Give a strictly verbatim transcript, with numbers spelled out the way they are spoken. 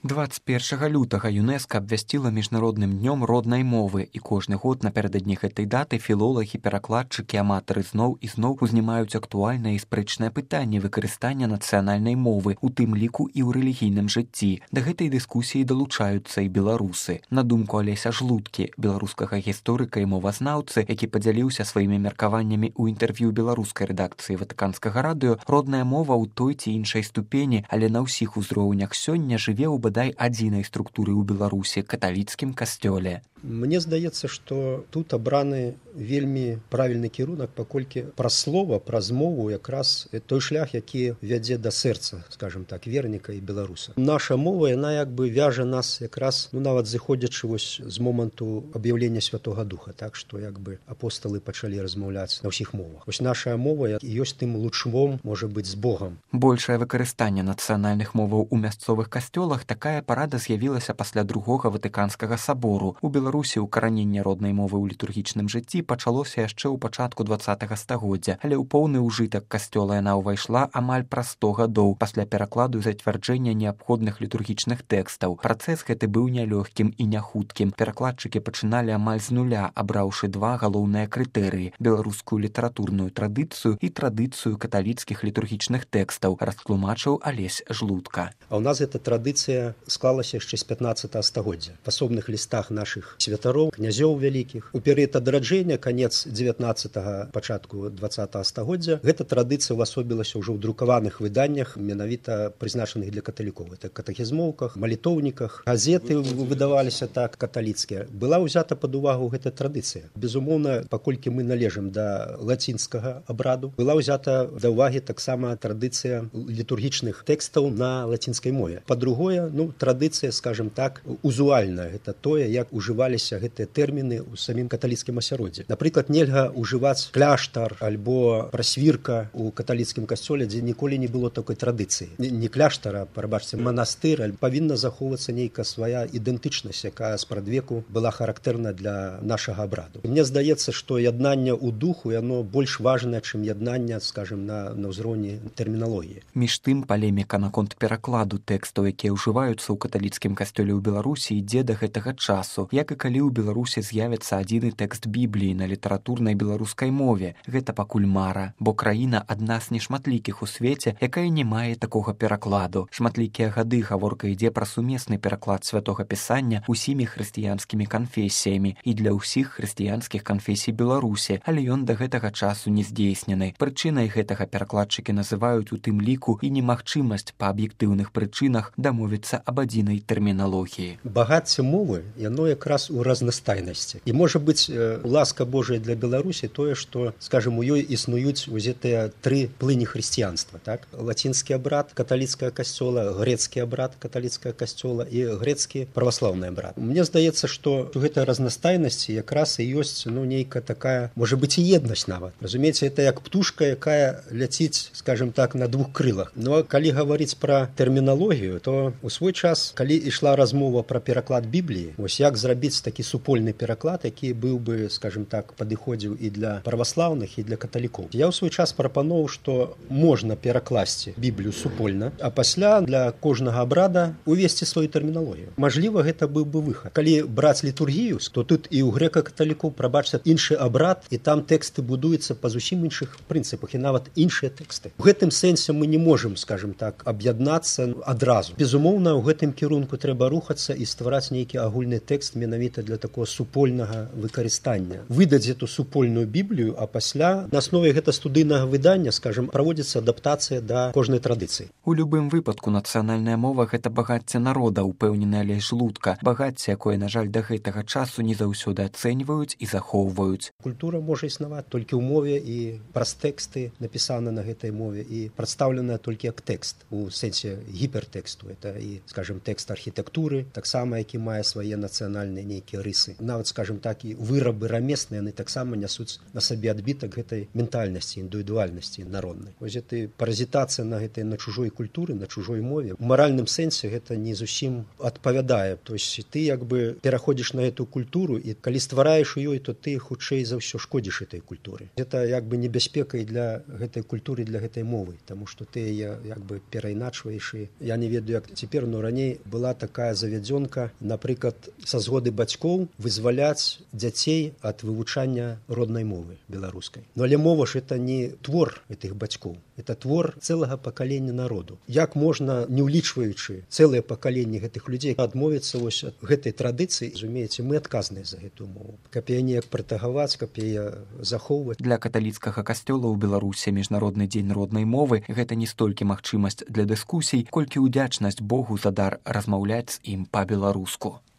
двадцать першага лютага ЮНЕСКО абвясціла міжнародным днём роднай мовы, і кожны год напярэдадні гэтай даты філолагі, перакладчыкі, аматары зноў і зноў узнімаюць актуальнае і спрэчнае пытанне выкарыстання нацыянальнай мовы, у тым ліку і ў рэлігійным жыцці. Да гэтай дыскусіі далучаюцца і беларусы. На думку Алеся Жлудкі, беларускага гісторыка і мовазнаўцы, які падзяліўся сваімі меркаваннямі ў інтэрв'ю беларускай рэдакцыі Ватыканскага радыё, родная мова ў той ці іншай ступені, але на ўсіх узроўнях сёння жыве ў бадай адзінай структуры ў Беларусі каталіцкім касцёле. Мне здаецца, што тут абраны вельмі правільны кірунак, паколькі праз слова, праз мову якраз той шлях, які вядзе да сэрца, скажем так, верніка і беларуса. Наша мова, яна як бы вяжа нас якраз, ну нават зыходзячы вось з моманту аб'яўлення Святога Духа, так што як бы апосталы пачалі размаўляць на ўсіх мовах. Вось наша мова ёсць тым лучмом, можа быць, з Богам. Большае выкарыстанне нацыянальных моваў у мясцовых касцёлах такая парада з'явілася пасля другога Ватыканскага сабору. У Беларусі укараненне роднай мовы ў літургічным жыцці пачалося яшчэ ў пачатку дваццатага стагоддзя, але ў поўны ўжытак касцёла яна ўвайшла амаль праз сто гадоў пасля перакладу і зацвярджэння неабходных літургічных тэкстаў. Працэс гэты быў нялёгкім і няхуткім. Перакладчыкі пачыналі амаль з нуля, абраўшы два галоўныя крытэрыі: беларускую літаратурную традыцыю і традыцыю каталіцкіх літургічных тэкстаў, растлумачыў Алесь Жлудка. А ў нас эта традыцыя склалася яшчэ з пятнаццатага стагоддзя. В асобных лістах нашых святароў, князёў вялікіх. У перыяд адраджэння, канец дзевятнаццатага, пачатку дваццатага стагоддзя, гэта традыцыя ўвасобілася ўжо ў друкаваных выданнях, менавіта прызначаных для каталікоў. Это катэхізмоўках, малітоўніках, газеты выдаваліся так каталіцкія. Была ўзята пад увагу гэта традыцыя. Безумоўна, паколькі мы належым да лацінскага абраду, была ўзята да ўвагі таксама традыцыя літургічных тэкстаў на лацінскай мове. Па-другое, ну, традыцыя, скажем так, узуальная. Гэта тое, як ужываліся гэтыя тэрміны ў самім каталіцкім асяроддзі. Напрыклад, нельга ўжываць кляштар альбо прасвірка ў каталіцкім касцёле, дзе ніколі не было такой традыцыі. Не кляштара, прабачце, манастыр, павінна захоўвацца нейкая свая ідэнтычнасць, якая спрадвеку была характэрна для нашага абраду. Мне здаецца, што яднанне ў духу, яно больш важнае, чым яднанне, скажем, на, на ўзроўні тэрміналогіі. Між тым, палеміка наконт перакладу тэкстаў, якія ўжываюцца ў каталіцкім касцёле ў Беларусі, ідзе да гэтага часу, як і калі ў Беларусі з'явіцца адзіны тэкст Бібліі на літаратурнай беларускай мове. Гэта пакуль мара, бо краіна адна з нешматлікіх у свеце, якая не мае такога перакладу. Шматлікія гады гаворка ідзе пра сумесны пераклад святога пісання усімі хрысціянскімі канфесіямі і для ўсіх хрысціянскіх канфесій Беларусі, але ён да гэтага часу не здзейснены. Прычынай гэтага перакладчыкі называюць у тым ліку і немагчымасць па аб'ектыўных прычынах дамовіцца аб адзінай тэрміналогіі. Багацце мовы, яно якраз у разнастайнасці. І можа быць, ласка Божая для Беларусі тое, што, скажем, у ёй існуюць узетыя тры плыні хрысціянства, так? Лацінскі абрад каталіцкага касцёла, грэцкі абрад каталіцкага касцёла і грэцкі праваслаўны абрад. Мне здаецца, што у гэтай разнастайнасці якраз і ёсць, ну, нейкая такая, можа быць, і еднасць нават. Разумееце, это як птушка, якая ляціць, скажем так, на двух крылах. Но калі гаварыць пра тэрміналогію, то у свой час, калі ішла размова пра пераклад Бібліі, вось як зрабіць такі супольны пераклад, які быў бы, скажем так, падыходзіў і для праваслаўных, і для каталікоў. Я ў свой час прапаноўваў, што можна перакласці Біблію супольна, а пасля для кожнага абрада увесці сваю тэрміналогію. Мажліва, гэта быў бы выхад. Калі браць літургію, то тут і ў грэка-каталікоў, прабачце, іншы абрад, і там тэксты будуюцца па зусім іншых прынцыпах, і нават іншыя тэксты. У гэтым сэнсе мы не можам, скажем так, аб'яднацца адразу. Безумоўна, у гэтым кірунку трэба рухацца і ствараць нейкі агульны тэкст менавіта для такого супольнага выкарыстання. Выдаць эту супольную Біблію, а пасля на аснове гэта студыйнага выдання, скажем, праводзіцца адаптацыя да кожнай традыцыі. У любым выпадку нацыянальная мова — гэта багацце народа, упэўнены Алесь Жлудка. Багацце, якое, на жаль, да гэтага часу не заўсёды ацэньваюць і захоўваюць. Культура можа існаваць толькі ў мове і праз тэксты, напісаны на гэтай мове, і прадстаўленая толькі як тэкст у сэнсе гіпертэксту. Это і, скажем, тэкст архітэктуры, таксама, які мае свае нацыянальныя нейкія рысы. Нават, скажем так, і вырабы рамесныя, яны таксама нясуць на сабе адбітак гэтай ментальнасці, індывідуальнасці народнай. Вось гэта паразітацыя на гэтай, на чужой культуры, на чужой мове. У маральным сэнсе гэта не зусім адпавядае. То есть ты як бы пераходзіш на эту культуру, і калі ствараеш у ёй, то ты хутчэй за ўсё шкодзіш этой культуры. Гэта як бы небяспека і для гэтай культуры, для гэтай мовы, таму што ты яе як бы перайначваеш. І я не ведаю, як цяпер, но раней была такая завядзёнка, напрыклад, са згоды бацькоў вызваляць дзяцей ад вывучання роднай мовы беларускай. Но але мова ж это не твор гэтых бацькоў, это твор цэлага пакалення народу. Як можна, не ўлічваючы цэлае пакаленне гэтых людзей, адмовіцца вось ад гэтай традыцыі, разумееце, мы адказныя за гэтую мову. Каб яе неяк пратагаваць, каб яе захоўваць. Для каталіцкага касцёла ў Беларусі міжнародны дзень роднай мовы гэта не столькі магчымасць для дыскусій, колькі ўдзячнасць Богу за дар размаўляць з ім па-беларуску.